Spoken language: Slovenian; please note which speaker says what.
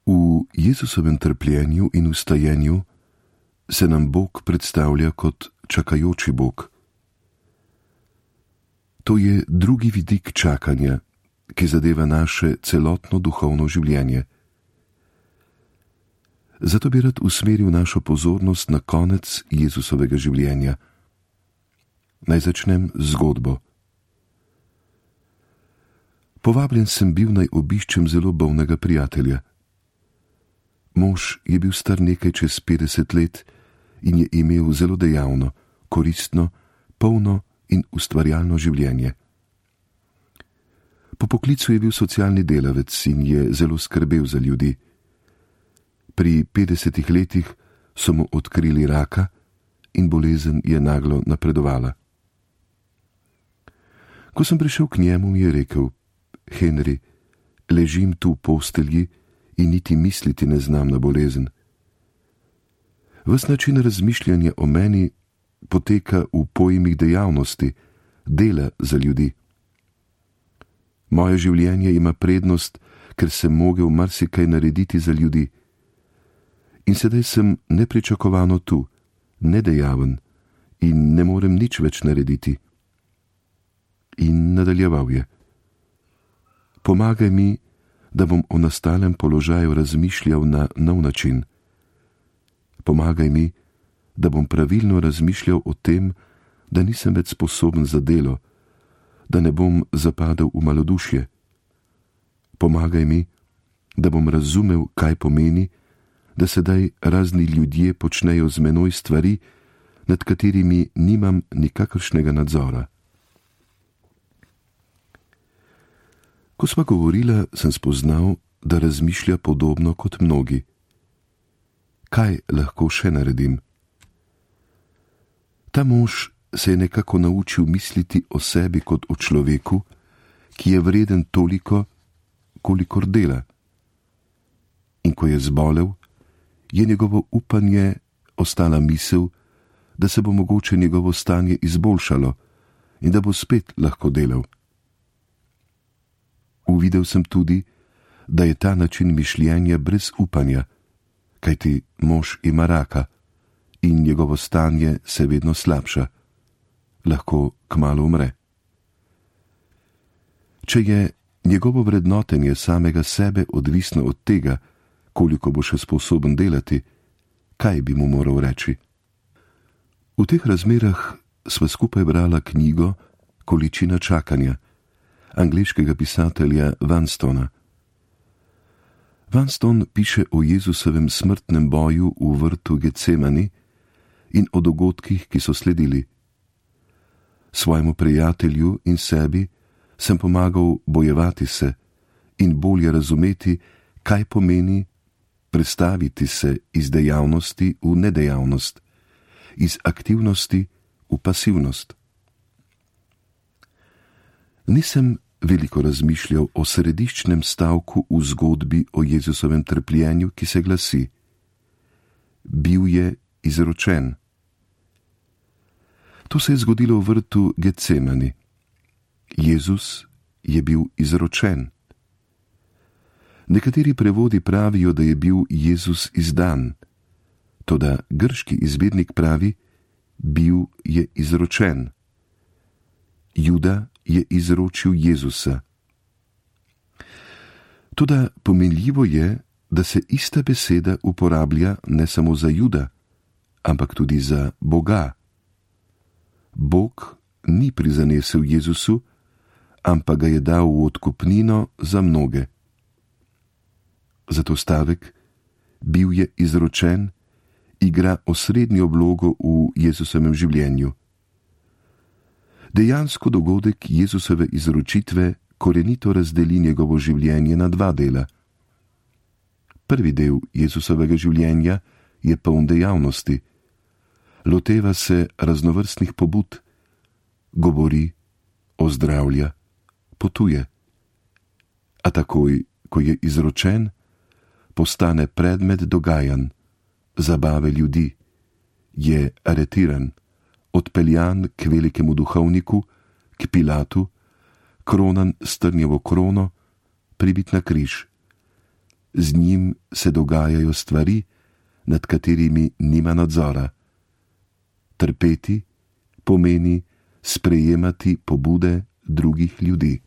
Speaker 1: V Jezusovem trpljenju in vstajenju se nam Bog predstavlja kot čakajoči Bog. To je drugi vidik čakanja, ki zadeva naše celotno duhovno življenje. Zato bi rad usmeril našo pozornost na konec Jezusovega življenja. Naj začnem z zgodbo. Povabljen sem bil, naj obiščem zelo bolnega prijatelja. Mož je bil star nekaj čez 50 let in je imel zelo dejavno, koristno, polno in ustvarjalno življenje. Po poklicu je bil socialni delavec in je zelo skrbel za ljudi. Pri 50 letih so mu odkrili raka in bolezen je naglo napredovala. Ko sem prišel k njemu, mi je rekel: Henry, ležim tu v postelji in niti misliti ne znam na bolezen. Ves način razmišljanja o meni poteka v pojmih dejavnosti, dela za ljudi. Moje življenje ima prednost, ker sem mogel marsikaj narediti za ljudi. In sedaj sem nepričakovano tu, nedejaven in ne morem nič več narediti. In nadaljeval je: Pomagaj mi, da bom o nastalem položaju razmišljal na nov način. Pomagaj mi, da bom pravilno razmišljal o tem, da nisem več sposoben za delo, da ne bom zapadel v malodušje. Pomagaj mi, da bom razumel, kaj pomeni, da sedaj razni ljudje počnejo z menoj stvari, nad katerimi nimam nikakršnega nadzora. Ko sva govorila, sem spoznal, da razmišlja podobno kot mnogi. Kaj lahko še naredim? Ta mož se je nekako naučil misliti o sebi kot o človeku, ki je vreden toliko, kolikor dela. In ko je zbolel, je njegovo upanje ostala misel, da se bo mogoče njegovo stanje izboljšalo in da bo spet lahko delal. Uvidel sem tudi, da je ta način mišljenja brez upanja, kajti mož ima raka in njegovo stanje se vedno slabša. Lahko kmalu umre. Če je njegovo vrednotenje samega sebe odvisno od tega, koliko bo še sposoben delati, kaj bi mu moral reči? V teh razmerah sva skupaj brala knjigo Količina čakanja angleškega pisatelja Vanstona. Vanston piše o Jezusovem smrtnem boju v vrtu Getsemani in o dogodkih, ki so sledili. Svojemu prijatelju in sebi sem pomagal bojevati se in bolje razumeti, kaj pomeni prestaviti se iz dejavnosti v nedejavnost, iz aktivnosti v pasivnost. Nisem veliko razmišljal o središčnem stavku v zgodbi o Jezusovem trpljenju, ki se glasi: Bil je izročen. To se je zgodilo v vrtu Getsemani. Jezus je bil izročen. Nekateri prevodi pravijo, da je bil Jezus izdan, toda grški izvednik pravi: bil je izročen. Juda je izročil Jezusa. Toda pomenljivo je, da se ista beseda uporablja ne samo za Juda, ampak tudi za Boga. Bog ni prizanesel Jezusu, ampak ga je dal v odkupnino za mnoge. Zato stavek bil je izročen igra osrednjo vlogo v Jezusovem življenju. Dejansko dogodek Jezusove izročitve korenito razdeli njegovo življenje na dva dela. Prvi del Jezusovega življenja je poln dejavnosti. Loteva se raznovrstnih pobud, govori, ozdravlja, potuje. A takoj, ko je izročen, postane predmet dogajanj, zabave ljudi, je aretiran, odpeljan k velikemu duhovniku, k Pilatu, kronan s trnjevo krono, pribit na križ. z njim se dogajajo stvari, nad katerimi nima nadzora. Trpeti pomeni sprejemati pobude drugih ljudi.